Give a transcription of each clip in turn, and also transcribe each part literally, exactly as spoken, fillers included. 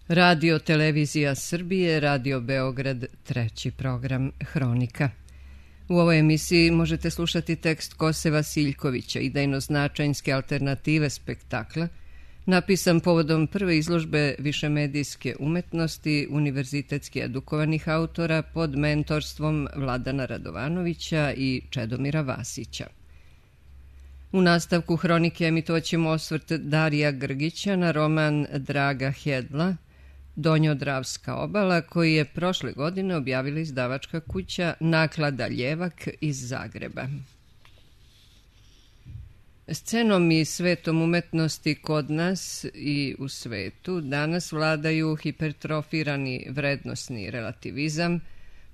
Radio Televizija Srbije, Radio Beograd, treći program Hronika. U ovoj emisiji možete slušati tekst Kose Vasiljkovića, idejno-značajnske alternative spektakla, napisan povodom prve izložbe višemedijske umetnosti univerzitetski edukovanih autora pod mentorstvom Vladana Radovanovića i Čedomira Vasića. U nastavku Hronike emitovaćemo osvrt Darija Grgića na roman Draga Hedla, Donjodravska obala, koji je prošle godine objavila izdavačka kuća Naklada Ljevak iz Zagreba. Scenom i svetom umetnosti kod nas i u svetu danas vladaju hipertrofirani vrednosni relativizam,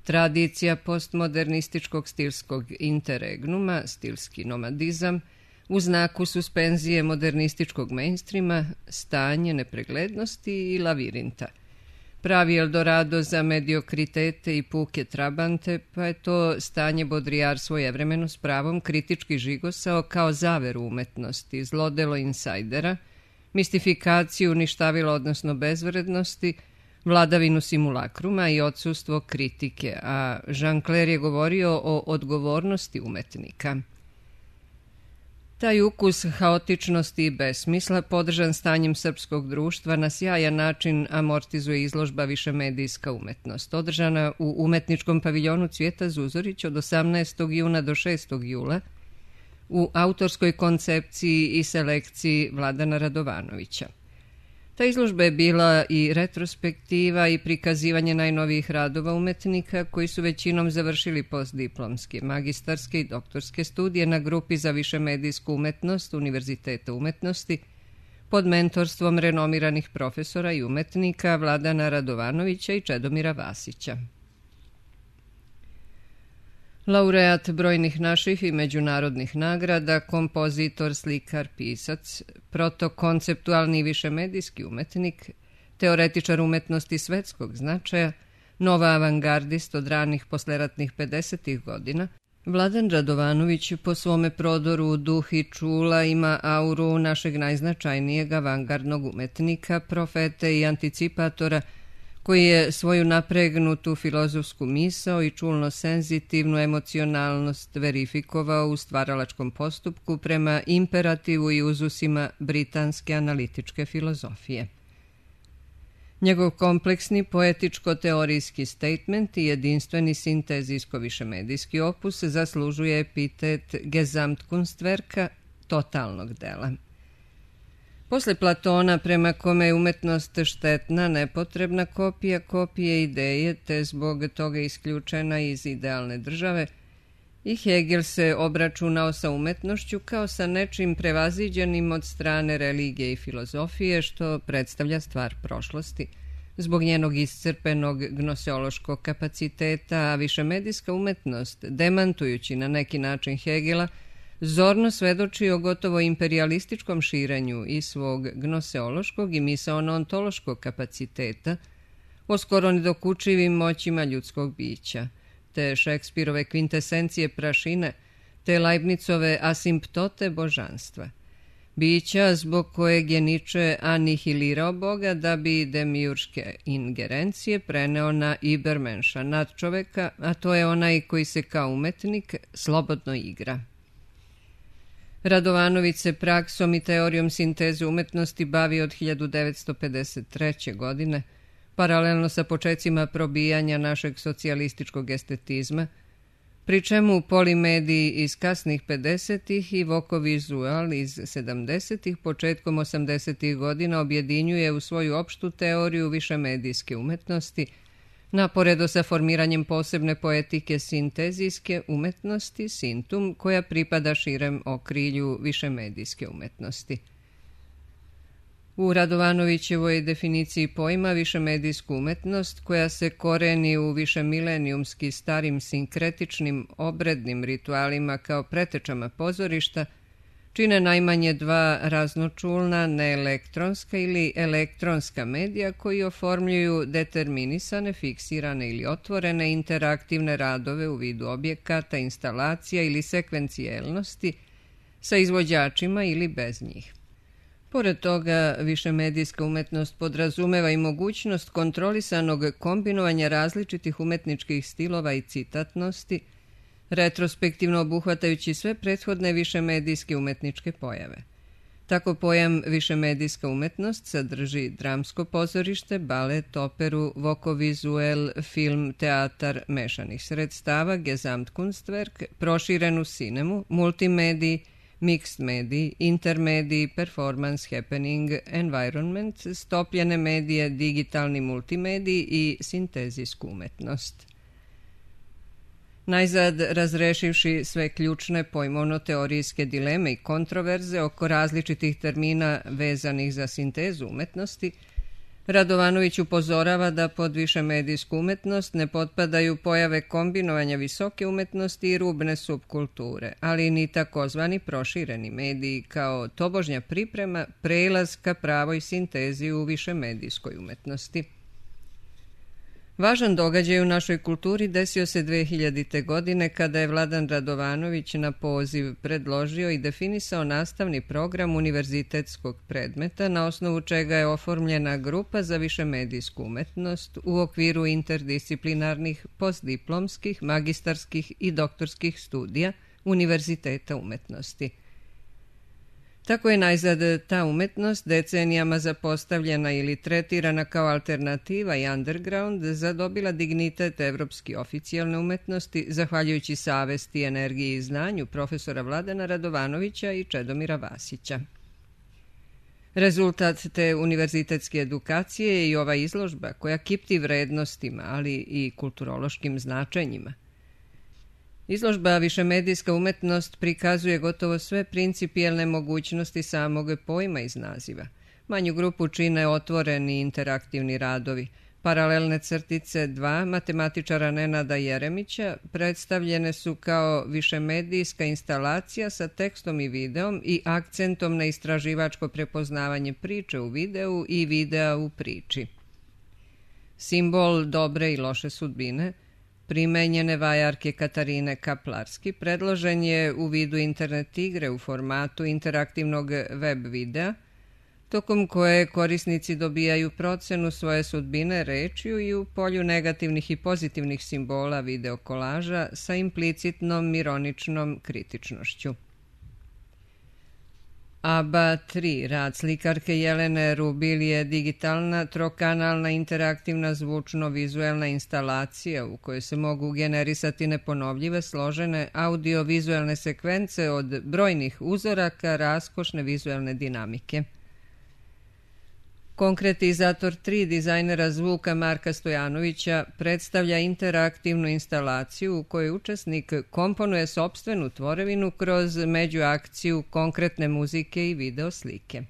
tradicija postmodernističkog stilskog interregnuma, stilski nomadizam, u znaku suspenzije modernističkog mainstreama, stanje nepreglednosti i lavirinta. Pravi Eldorado za mediokritete i puke trabante, pa je to stanje Bodrijar svojevremeno s pravom kritički žigosao kao zaveru umetnosti, zlodelo insajdera, mistifikaciju ništavila odnosno bezvrednosti, vladavinu simulakruma i odsustvo kritike, a Jean Claire je govorio o odgovornosti umetnika. Taj ukus haotičnosti i besmisla, podržan stanjem srpskog društva, na sjajan način amortizuje izložba Višemedijska umetnost, održana u umetničkom paviljonu Cvijeta Zuzorić od osamnaestog juna do šestog jula u autorskoj koncepciji i selekciji Vladana Radovanovića. Ta izložba je bila i retrospektiva i prikazivanje najnovijih radova umetnika koji su većinom završili postdiplomske, magistarske i doktorske studije na grupi za višemedijsku umetnost Univerziteta umetnosti pod mentorstvom renomiranih profesora i umetnika Vladana Radovanovića i Čedomira Vasića. Laureat brojnih naših i međunarodnih nagrada, kompozitor, slikar, pisac, protokonceptualni višemedijski umetnik, teoretičar umetnosti svetskog značaja, nova avangardist od ranih posleratnih pedesetih godina, Vladan Radovanović po svome prodoru duh i čula ima auru našeg najznačajnijeg avangardnog umetnika, profete i anticipatora, koji je svoju napregnutu filozofsku misao i čulno-senzitivnu emocionalnost verifikovao u stvaralačkom postupku prema imperativu i uzusima britanske analitičke filozofije. Njegov kompleksni poetičko-teorijski statement i jedinstveni sintezijsko-višemedijski opus zaslužuje epitet Gesamtkunstwerka, totalnog dela. Posle Platona, prema kome je umetnost štetna, nepotrebna kopija kopije ideje, te zbog toga isključena iz idealne države, i Hegel se obračunao sa umetnošću kao sa nečim prevaziđenim od strane religije i filozofije, što predstavlja stvar prošlosti, zbog njenog iscrpenog gnoseološkog kapaciteta, a višemedijska umetnost, demantujući na neki način Hegela, zorno svedoči o gotovo imperialističkom širenju i svog gnoseološkog i misaono-ontološkog kapaciteta, o skoro nedokučivim moćima ljudskog bića, te Šekspirove kvintesencije prašine, te Leibnicove asimptote božanstva. Bića zbog kojeg je Niče anihilirao Boga da bi demiurške ingerencije preneo na Ibermenša, nadčoveka, a to je onaj koji se kao umetnik slobodno igra. Radovanović se praksom i teorijom sinteze umetnosti bavi od hiljadu devetsto pedeset treće. godine, paralelno sa počecima probijanja našeg socijalističkog estetizma, pri čemu polimediji iz kasnih pedesetih i vokovizual iz sedamdesetih početkom osamdesetih godina objedinjuje u svoju opštu teoriju višemedijske umetnosti, naporedo sa formiranjem posebne poetike sintezijske umetnosti, sintum, koja pripada širem okrilju višemedijske umetnosti. U Radovanovićevoj definiciji pojma višemedijsku umetnost, koja se koreni u višemilenijumski starim sinkretičnim obrednim ritualima kao pretečama pozorišta, čine najmanje dva raznočulna neelektronska ili elektronska medija koji oformljuju determinisane, fiksirane ili otvorene interaktivne radove u vidu objekata, instalacija ili sekvencijelnosti sa izvođačima ili bez njih. Pored toga, višemedijska umetnost podrazumeva i mogućnost kontrolisanog kombinovanja različitih umetničkih stilova i citatnosti, retrospektivno obuhvatajući sve prethodne višemedijske umetničke pojave. Tako pojam višemedijska umetnost sadrži dramsko pozorište, balet, operu, vokovizuel, film, teatar mešanih sredstava, Gesamtkunstwerk, proširenu sinemu, multimediji, mixed mediji, intermediji, performance, happening, environment, stopljene medije, digitalni multimediji i sintezijsku umetnost. Najzad, razrešivši sve ključne pojmovno-teorijske dileme i kontroverze oko različitih termina vezanih za sintezu umetnosti, Radovanović upozorava da pod višemedijsku umetnost ne potpadaju pojave kombinovanja visoke umetnosti i rubne subkulture, ali ni takozvani prošireni mediji kao tobožnja priprema prelaz ka pravoj sintezi u višemedijskoj umetnosti. Važan događaj u našoj kulturi desio se dve hiljadite. godine kada je Vladan Radovanović na poziv predložio i definisao nastavni program univerzitetskog predmeta na osnovu čega je oformljena grupa za višemedijsku umetnost u okviru interdisciplinarnih postdiplomskih, magistarskih i doktorskih studija Univerziteta umetnosti. Tako je najzad ta umetnost decenijama zapostavljena ili tretirana kao alternativa i underground zadobila dignitet evropski oficijalne umetnosti zahvaljujući savesti, energiji i znanju profesora Vladana Radovanovića i Čedomira Vasića. Rezultat te univerzitetske edukacije je i ova izložba koja kipti vrednostima, ali i kulturološkim značenjima. Izložba Višemedijska umetnost prikazuje gotovo sve principijelne mogućnosti samog pojma iz naziva. Manju grupu čine otvoreni interaktivni radovi. Paralelne crtice dva matematičara Nenada Jeremića predstavljene su kao višemedijska instalacija sa tekstom i videom i akcentom na istraživačko prepoznavanje priče u videu i videa u priči. Simbol dobre i loše sudbine primenjene vajarke Katarine Kaplarski predložen je u vidu internet igre u formatu interaktivnog web videa, tokom koje korisnici dobijaju procenu svoje sudbine rečju i u polju negativnih i pozitivnih simbola videokolaža sa implicitnom ironičnom kritičnošću. A B A tri, rad slikarke Jelene Rubil, je digitalna, trokanalna, interaktivna, zvučno-vizuelna instalacija u kojoj se mogu generisati neponovljive, složene audio-vizuelne sekvence od brojnih uzoraka raskošne vizuelne dinamike. Konkretizator tri dizajnera zvuka Marka Stojanovića predstavlja interaktivnu instalaciju u kojoj učesnik komponuje sopstvenu tvorevinu kroz međuakciju konkretne muzike i video slike.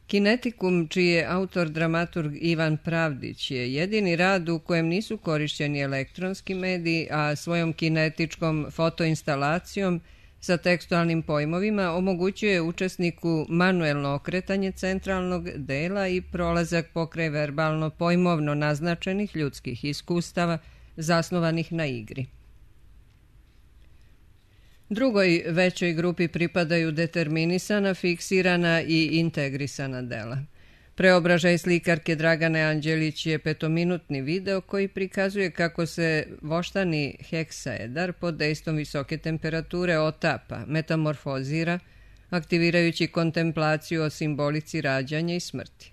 Kinetikum, čiji je autor dramaturg Ivan Pravdić, je jedini rad u kojem nisu korišćeni elektronski mediji, a svojom kinetičkom fotoinstalacijom sa tekstualnim pojmovima omogućuje učesniku manuelno okretanje centralnog dela i prolazak pokraj verbalno-pojmovno naznačenih ljudskih iskustava zasnovanih na igri. Drugoj većoj grupi pripadaju determinisana, fiksirana i integrisana dela. Preobražaj slikarke Dragane Anđelić je petominutni video koji prikazuje kako se voštani heksaedar pod dejstvom visoke temperature otapa, metamorfozira, aktivirajući kontemplaciju o simbolici rađanja i smrti.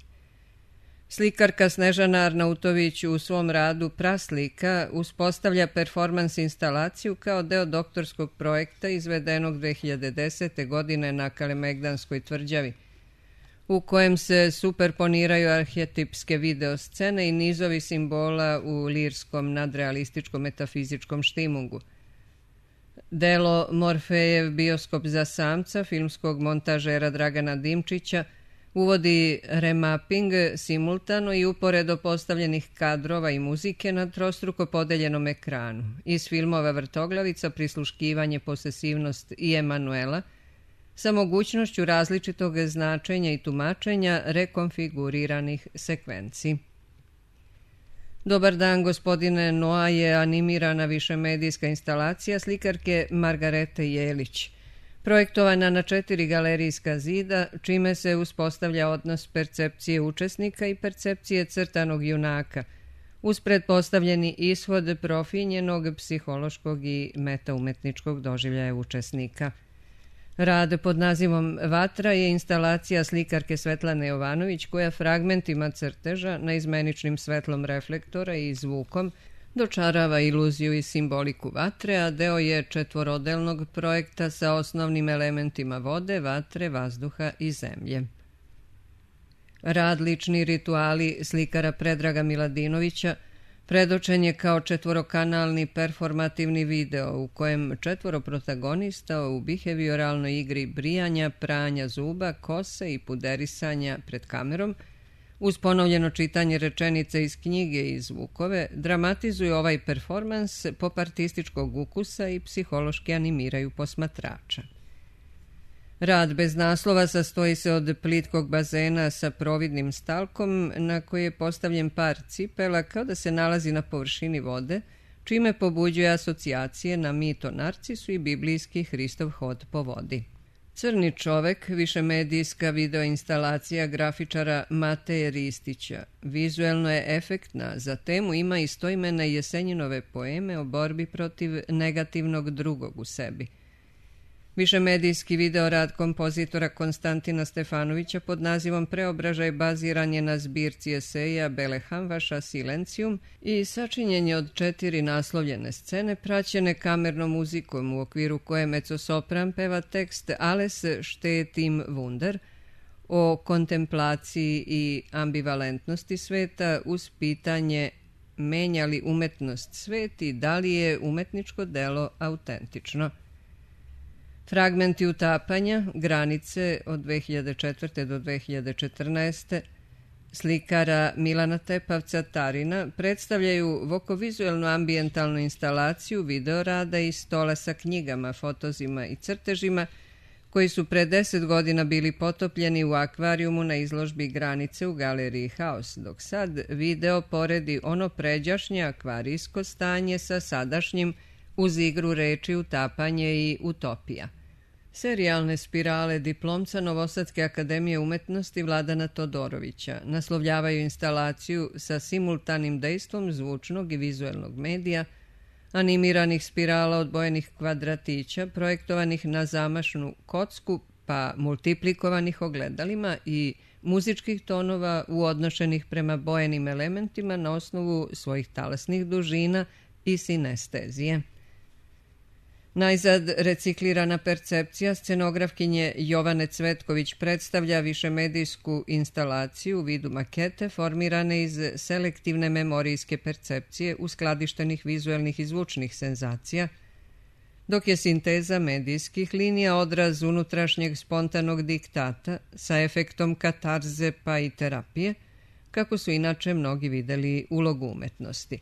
Slikarka Snežana Arnautović u svom radu Praslika uspostavlja performans instalaciju kao deo doktorskog projekta izvedenog dve hiljade desete. godine na Kalemegdanskoj tvrđavi, u kojem se superponiraju arhetipske videoscene i nizovi simbola u lirskom nadrealističkom metafizičkom štimungu. Delo Morfejev bioskop za samca filmskog montažera Dragana Dimčića uvodi remapping simultano i uporedo postavljenih kadrova i muzike na trostruko podeljenom ekranu. Iz filmova Vrtoglavica, Prisluškivanje, Posesivnost i Emanuela, sa mogućnošću različitog značenja i tumačenja rekonfiguriranih sekvenci. Dobar dan, gospodine Noa je animirana višemedijska instalacija slikarke Margarete Jelić. projektovana na četiri galerijska zida, čime se uspostavlja odnos percepcije učesnika i percepcije crtanog junaka, uz pretpostavljeni ishod profinjenog psihološkog i metaumetničkog doživljaja učesnika. Rad pod nazivom Vatra je instalacija slikarke Svetlane Jovanović koja fragmentima crteža, naizmeničnim svetlom reflektora i zvukom dočarava iluziju i simboliku vatre, a deo je četvorodelnog projekta sa osnovnim elementima vode, vatre, vazduha i zemlje. Rad Lični rituali slikara Predraga Miladinovića predočen je kao četvorokanalni performativni video u kojem četvoro protagonista u bihevioralnoj igri brijanja, pranja zuba, kose i puderisanja pred kamerom, uz ponovljeno čitanje rečenice iz knjige i zvukove, dramatizuju ovaj performans pop artističkog ukusa i psihološki animiraju posmatrača. Rad bez naslova sastoji se od plitkog bazena sa providnim stalkom na koji je postavljen par cipela kao da se nalazi na površini vode, čime pobuđuje asocijacije na mit o Narcisu i biblijski Hristov hod po vodi. Crni čovek, višemedijska videoinstalacija grafičara Mateje Ristića, vizuelno je efektna, za temu ima istoimene Jesenjinove poeme o borbi protiv negativnog drugog u sebi. Višemedijski videorad kompozitora Konstantina Stefanovića pod nazivom Preobražaj baziran je na zbirci eseja Bele Hamvaša Silencijum i sačinjen je od četiri naslovljene scene praćene kamernom muzikom u okviru koje mecosopran peva tekst Alles steht im Wunder o kontemplaciji i ambivalentnosti sveta uz pitanje menja li umetnost svet i da li je umetničko delo autentično. Fragmenti utapanja, granice od dve hiljade četvrte do dve hiljade četrnaeste slikara Milana Tepavca Tarina predstavljaju vokovizuelnu ambijentalnu instalaciju videorada i stola sa knjigama, fotozima i crtežima koji su pre deset godina bili potopljeni u akvarijumu na izložbi Granice u galeriji Haos, dok sad video poredi ono pređašnje akvarijsko stanje sa sadašnjim uz igru reči Utapanje i Utopija. Serijalne spirale diplomca Novosadske akademije umetnosti Vladana Todorovića naslovljavaju instalaciju sa simultanim dejstvom zvučnog i vizuelnog medija, animiranih spirala odbojenih kvadratića projektovanih na zamašnu kocku pa multiplikovanih ogledalima i muzičkih tonova uodnošenih prema bojenim elementima na osnovu svojih talasnih dužina i sinestezije. Najzad reciklirana percepcija scenografkinje Jovane Cvetković predstavlja višemedijsku instalaciju u vidu makete formirane iz selektivne memorijske percepcije uskladištenih vizuelnih i zvučnih senzacija, dok je sinteza medijskih linija odraz unutrašnjeg spontanog diktata sa efektom katarze pa i terapije, kako su inače mnogi videli ulogu umetnosti.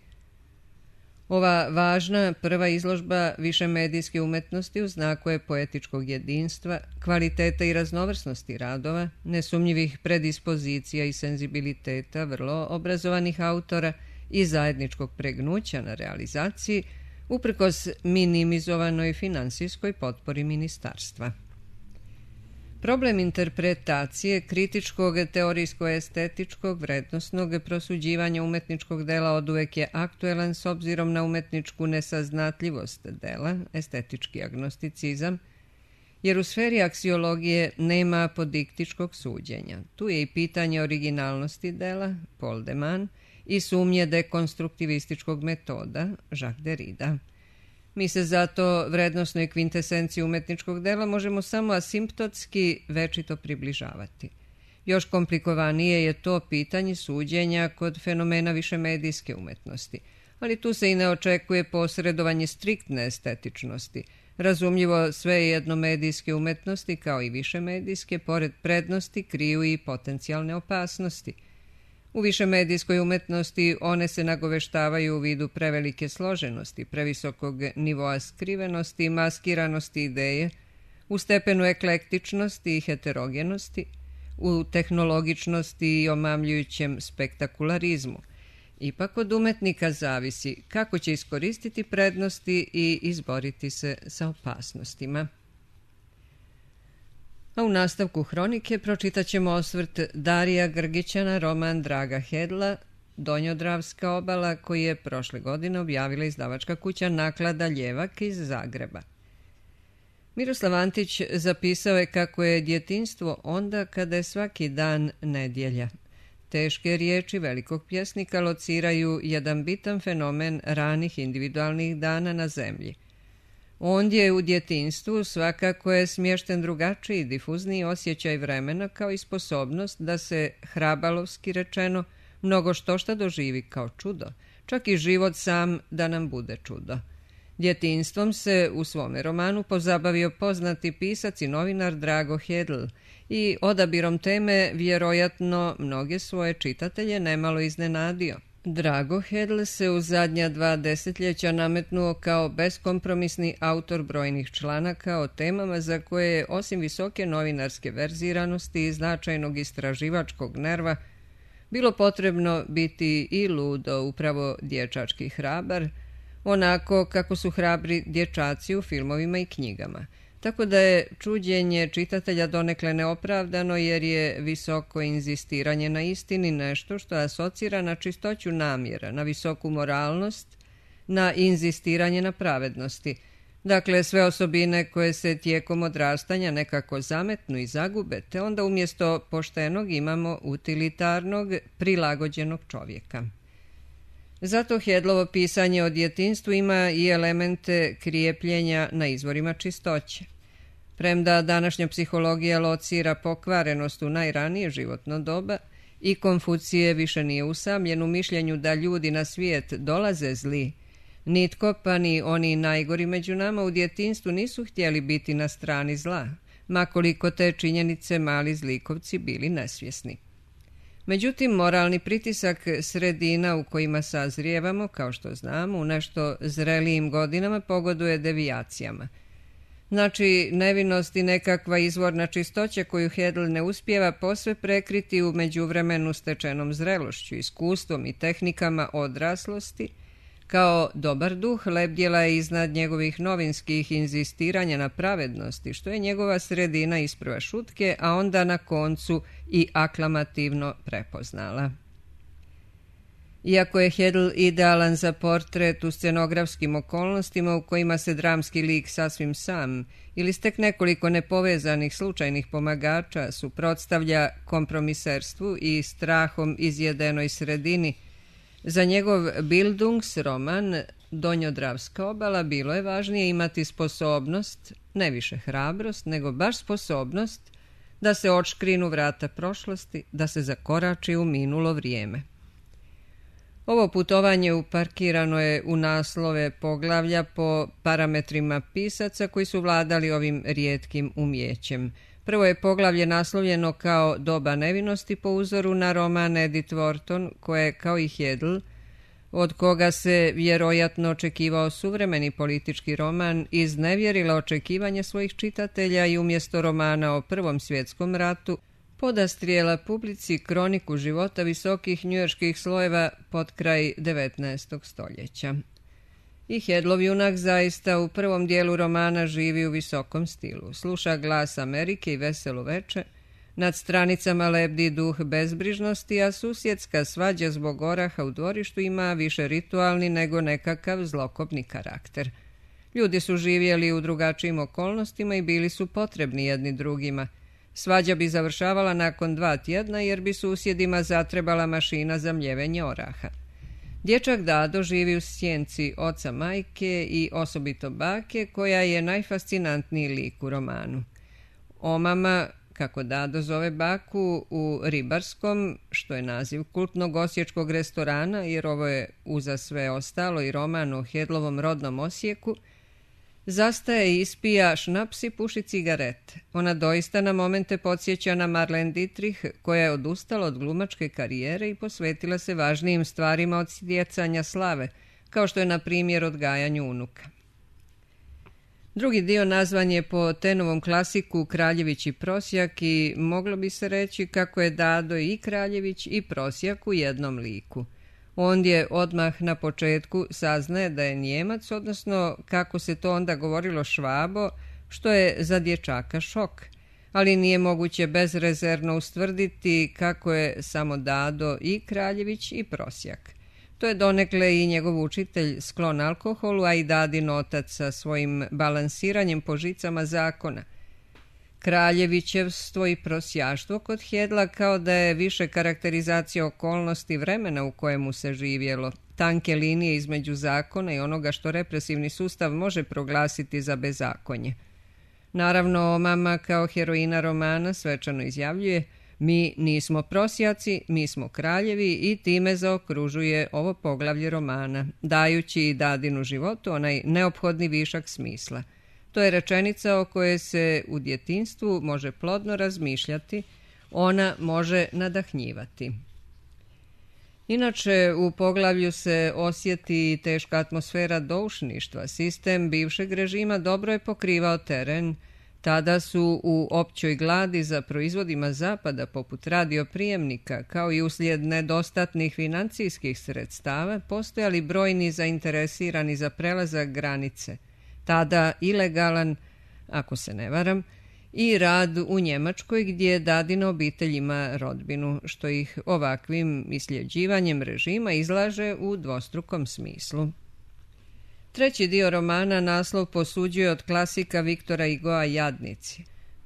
Ova važna prva izložba višemedijske umetnosti u znaku je poetičkog jedinstva, kvaliteta i raznovrsnosti radova, nesumnjivih predispozicija i senzibiliteta vrlo obrazovanih autora i zajedničkog pregnuća na realizaciji, uprkos minimizovanoj finansijskoj potpori ministarstva. Problem interpretacije kritičkog, teorijsko-estetičkog, vrednosnog prosuđivanja umetničkog dela oduvek je aktuelan s obzirom na umetničku nesaznatljivost dela, estetički agnosticizam, jer u sferi aksiologije nema apodiktičkog suđenja. Tu je i pitanje originalnosti dela, Paul de Man, i sumnje dekonstruktivističkog metoda, Jacques Derrida. Mi se zato vrednosnoj kvintesenciji umetničkog dela možemo samo asimptotski večito približavati. Još komplikovanije je to pitanje suđenja kod fenomena višemedijske umetnosti, ali tu se i ne očekuje posredovanje striktne estetičnosti. Razumljivo, sve jednomedijske umetnosti, kao i višemedijske, pored prednosti kriju i potencijalne opasnosti. U višemedijskoj umetnosti one se nagoveštavaju u vidu prevelike složenosti, previsokog nivoa skrivenosti i maskiranosti ideje, u stepenu eklektičnosti i heterogenosti, u tehnologičnosti i omamljujućem spektakularizmu. Ipak od umetnika zavisi kako će iskoristiti prednosti i izboriti se sa opasnostima. A u nastavku hronike pročitat ćemo osvrt Darija Grgića na roman Draga Hedla, Donjodravska obala, koji je prošle godine objavila izdavačka kuća Naklada Ljevak iz Zagreba. Miroslav Antić zapisao je kako je djetinjstvo onda kada je svaki dan nedjelja. Teške riječi velikog pjesnika lociraju jedan bitan fenomen ranih individualnih dana na zemlji. Ondje u djetinjstvu svakako je smješten drugačiji, difuzniji osjećaj vremena kao i sposobnost da se, hrabalovski rečeno, mnogo što šta doživi kao čudo, čak i život sam da nam bude čudo. Djetinjstvom se u svome romanu pozabavio poznati pisac i novinar Drago Hedl i odabirom teme vjerojatno mnoge svoje čitatelje nemalo iznenadio. Drago Hedl se u zadnja dva desetljeća nametnuo kao beskompromisni autor brojnih članaka o temama za koje je osim visoke novinarske verziranosti i značajnog istraživačkog nerva bilo potrebno biti i ludo, upravo dječački hrabar, onako kako su hrabri dječaci u filmovima i knjigama. Tako da je čuđenje čitatelja donekle neopravdano jer je visoko inzistiranje na istini nešto što asocira na čistoću namjera, na visoku moralnost, na inzistiranje na pravednosti. Dakle, sve osobine koje se tijekom odrastanja nekako zametnu i zagube, te onda umjesto poštenog imamo utilitarnog, prilagođenog čovjeka. Zato Hedlovo pisanje o djetinjstvu ima i elemente krijepljenja na izvorima čistoće. Premda današnja psihologija locira pokvarenost u najranije životno doba i Konfucije više nije usamljen u mišljenju da ljudi na svijet dolaze zli, nitko pa ni oni najgori među nama u djetinjstvu nisu htjeli biti na strani zla, makoliko te činjenice mali zlikovci bili nesvjesni. Međutim, moralni pritisak sredina u kojima sazrijevamo, kao što znamo, u nešto zrelijim godinama pogoduje devijacijama. Znači, nevinost i nekakva izvorna čistoća koju Hedl ne uspijeva posve prekriti u međuvremenu stečenom zrelošću, iskustvom i tehnikama odraslosti, kao dobar duh lebdjela je iznad njegovih novinskih inzistiranja na pravednosti, što je njegova sredina isprva šutke, a onda na koncu i aklamativno prepoznala. Iako je Hedl idealan za portret u scenografskim okolnostima u kojima se dramski lik sasvim sam ili stek nekoliko nepovezanih slučajnih pomagača suprotstavlja kompromiserstvu i strahom izjedenoj sredini, za njegov Bildungsroman Donjodravska obala bilo je važnije imati sposobnost, ne više hrabrost, nego baš sposobnost da se odškrinu vrata prošlosti, da se zakorači u minulo vrijeme. Ovo putovanje uparkirano je u naslove poglavlja po parametrima pisaca koji su vladali ovim rijetkim umjećem. Prvo je poglavlje naslovljeno kao Doba nevinosti po uzoru na roman Edith Wharton, koje kao i Hedl, od koga se vjerojatno očekivao suvremeni politički roman, iznevjerila očekivanje svojih čitatelja i umjesto romana o Prvom svjetskom ratu podastrijela publici kroniku života visokih njujorških slojeva pod kraj devetnaestog stoljeća. I Hedlov junak zaista u prvom dijelu romana živi u visokom stilu. Sluša glas Amerike i veselo veče, nad stranicama lebdi duh bezbrižnosti, a susjedska svađa zbog oraha u dvorištu ima više ritualni nego nekakav zlokobni karakter. Ljudi su živjeli u drugačijim okolnostima i bili su potrebni jedni drugima. Svađa bi završavala nakon dva tjedna jer bi susjedima zatrebala mašina za mljevenje oraha. Dječak Dado živi u sjenci oca majke i osobito bake, koja je najfascinantniji lik u romanu. Omama, kako Dado zove baku, u Ribarskom, što je naziv kultnog osječkog restorana, jer ovo je uza sve ostalo i roman o Hedlovom rodnom Osijeku, zastaje i ispija šnaps i puši cigarete. Ona doista na momente podsjeća na Marlene Dietrich, koja je odustala od glumačke karijere i posvetila se važnijim stvarima od stjecanja slave, kao što je na primjer odgajanju unuka. Drugi dio nazvan je po Tenovom klasiku Kraljević i prosjak i moglo bi se reći kako je Dado i Kraljević i prosjak u jednom liku. Ondje odmah na početku saznaje da je Nijemac, odnosno kako se to onda govorilo Švabo, što je za dječaka šok. ali nije moguće bezrezervno ustvrditi kako je samo Dado i Kraljević i prosjak. To je donekle i njegov učitelj sklon alkoholu, a i Dadin otac sa svojim balansiranjem po žicama zakona. Kraljevićevstvo i prosjaštvo kod Hedla kao da je više karakterizacija okolnosti vremena u kojemu se živjelo, tanke linije između zakona i onoga što represivni sustav može proglasiti za bezakonje. Naravno, mama kao heroina romana svečano izjavljuje: mi nismo prosjaci, mi smo kraljevi, i time zaokružuje ovo poglavlje romana, dajući i Dadinu životu onaj neophodni višak smisla. To je rečenica o kojoj se u djetinjstvu može plodno razmišljati, ona može nadahnjivati. Inače, u poglavlju se osjeti teška atmosfera doušništva. Sistem bivšeg režima dobro je pokrivao teren. Tada su u općoj gladi za proizvodima zapada, poput radioprijemnika, kao i uslijed nedostatnih financijskih sredstava, postojali brojni zainteresirani za prelazak granice, tada ilegalan, ako se ne varam, i rad u Njemačkoj, gdje Dadina obitelj ima rodbinu, što ih ovakvim isljeđivanjem režima izlaže u dvostrukom smislu. Treći dio romana naslov posuđuje od klasika Viktora Hugoa Jadnici.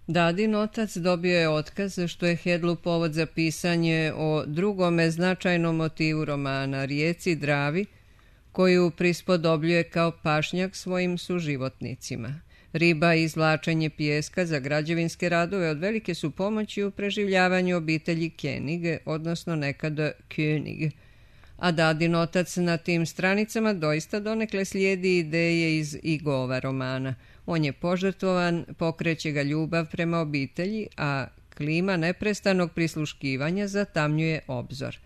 Dadin otac dobio je otkaz, što je Hedlu povod za pisanje o drugome značajnom motivu romana, rijeci Dravi, koju prispodobljuje kao pašnjak svojim suživotnicima. Riba i izvlačenje pijeska za građevinske radove od velike su pomoći u preživljavanju obitelji Kenige, odnosno nekada König. A Dadin otac na tim stranicama doista donekle slijedi ideje iz Hugova romana. On je požrtvovan, pokreće ga ljubav prema obitelji, a klima neprestanog prisluškivanja zatamnjuje obzor.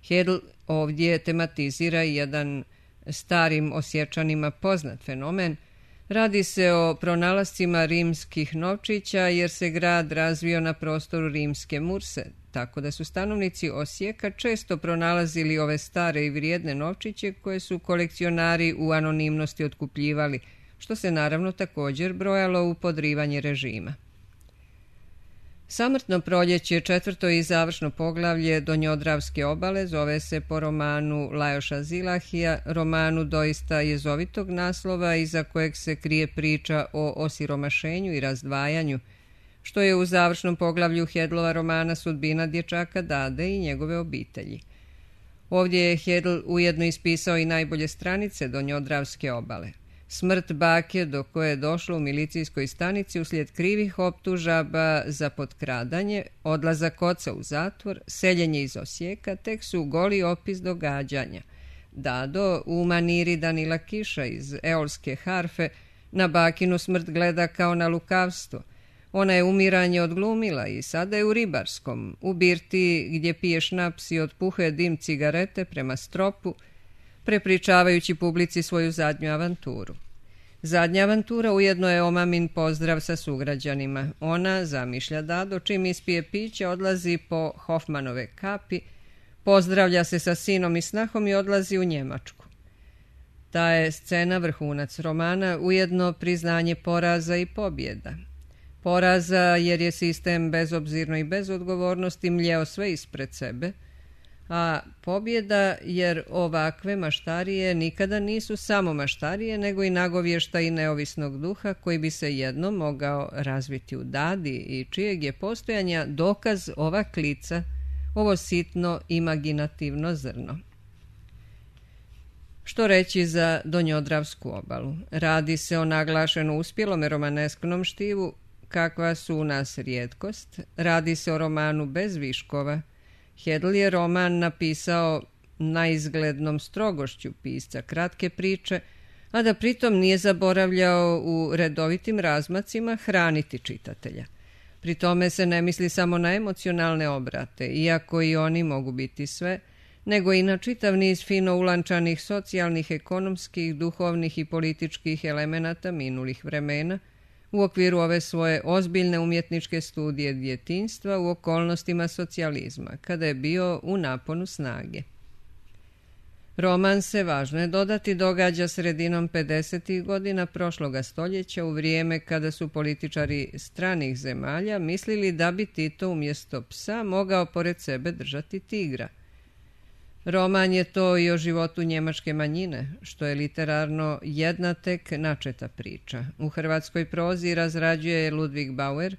Hedl ovdje tematizira jedan starim Osječanima poznat fenomen. Radi se o pronalascima rimskih novčića, jer se grad razvio na prostoru rimske Murse, tako da su stanovnici Osijeka često pronalazili ove stare i vrijedne novčiće koje su kolekcionari u anonimnosti otkupljivali, što se naravno također brojalo u podrivanje režima. Samrtno proljeće, četvrto i završno poglavlje Donjodravske obale, zove se po romanu Lajoša Zilahija, romanu doista jezovitog naslova iza kojeg se krije priča o osiromašenju i razdvajanju, što je u završnom poglavlju Hedlova romana sudbina dječaka Dade i njegove obitelji. Ovdje je Hedl ujedno ispisao i najbolje stranice Donjodravske obale. Smrt bake do koje je došlo u milicijskoj stanici uslijed krivih optužaba za potkradanje, odlazak oca u zatvor, seljenje iz Osijeka, tek su goli opis događanja. Dado u maniri Danila Kiša iz Eolske harfe na bakinu smrt gleda kao na lukavstvo. Ona je umiranje odglumila i sada je u Ribarskom, u birti gdje pije šnaps i otpuhuje dim cigarete prema stropu, prepričavajući publici svoju zadnju avanturu. Zadnja avantura ujedno je omamin pozdrav sa sugrađanima. Ona, zamišlja Dado, čim ispije piće, odlazi po Hofmanove kapi, pozdravlja se sa sinom i snahom i odlazi u Njemačku. Ta je scena vrhunac romana, ujedno priznanje poraza i pobjeda. Poraza jer je sistem bezobzirno i bez odgovornosti mljeo sve ispred sebe, a pobjeda jer ovakve maštarije nikada nisu samo maštarije, nego i nagovještaj neovisnog duha koji bi se jednom mogao razviti u Dadi i čijeg je postojanja dokaz ova klica, ovo sitno imaginativno zrno. Što reći za Donjodravsku obalu? Radi se o naglašeno uspjelome romanesknom štivu, kakva su u nas rijetkost. Radi se o romanu bez viškova. Hedl je roman napisao naizglednom strogošću pisca kratke priče, a da pritom nije zaboravljao u redovitim razmacima hraniti čitatelja. Pri tome se ne misli samo na emocionalne obrate, iako i oni mogu biti sve, nego i na čitav niz fino ulančanih socijalnih, ekonomskih, duhovnih i političkih elemenata minulih vremena, u okviru ove svoje ozbiljne umjetničke studije djetinjstva u okolnostima socijalizma, kada je bio u naponu snage. Roman se, važno je dodati, događa sredinom pedesetih godina prošloga stoljeća, u vrijeme kada su političari stranih zemalja mislili da bi Tito umjesto psa mogao pored sebe držati tigra. Roman je to i o životu njemačke manjine, što je literarno jedna tek načeta priča. U hrvatskoj prozi razrađuje je Ludwig Bauer.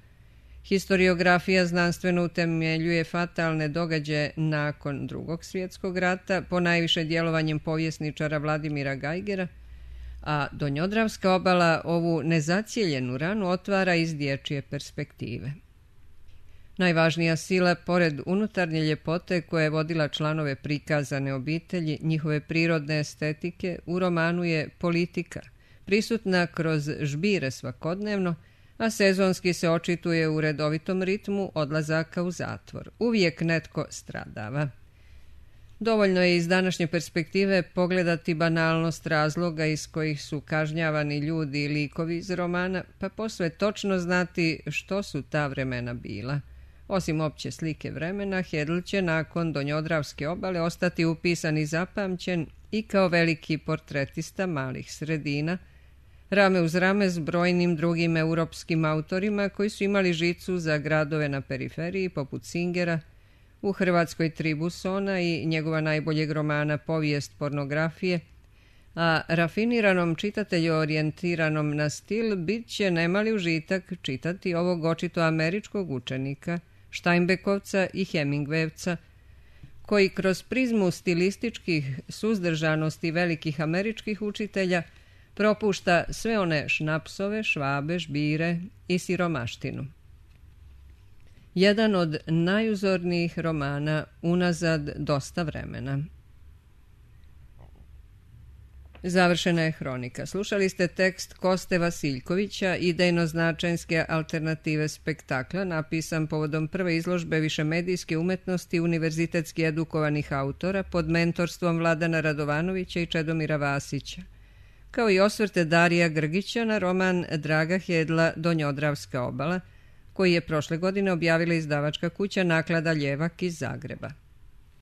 Historiografija znanstveno utemeljuje fatalne događaje nakon Drugog svjetskog rata, ponajviše djelovanjem povjesničara Vladimira Geigera, a Donjodravska obala ovu nezacijeljenu ranu otvara iz dječje perspektive. Najvažnija sila, pored unutarnje ljepote koja je vodila članove prikazane obitelji, njihove prirodne estetike, u romanu je politika, prisutna kroz žbire svakodnevno, a sezonski se očituje u redovitom ritmu odlazaka u zatvor. Uvijek netko stradava. Dovoljno je iz današnje perspektive pogledati banalnost razloga iz kojih su kažnjavani ljudi i likovi iz romana, pa posve točno znati što su ta vremena bila. Osim opće slike vremena, Hedl će nakon Donjodravske obale ostati upisan i zapamćen i kao veliki portretista malih sredina, rame uz rame s brojnim drugim europskim autorima koji su imali žicu za gradove na periferiji poput Singera, u Hrvatskoj Tribusona i njegova najboljeg romana Povijest pornografije, a rafiniranom čitatelju orijentiranom na stil bit će nemali užitak čitati ovog očito američkog učenika, Steinbeckovca i Hemingwayevca, koji kroz prizmu stilističkih suzdržanosti velikih američkih učitelja propušta sve one šnapsove, švabe, žbire i siromaštinu. Jedan od najuzornijih romana unazad dosta vremena. Završena je hronika. Slušali ste tekst Koste Vasiljkovića, idejno-značajske alternative spektakla, napisan povodom prve izložbe višemedijske umetnosti univerzitetski edukovanih autora pod mentorstvom Vladana Radovanovića i Čedomira Vasića, kao i osvrte Darija Grgića na roman Draga Hedla Donjodravska obala, koji je prošle godine objavila izdavačka kuća Naklada Ljevak iz Zagreba.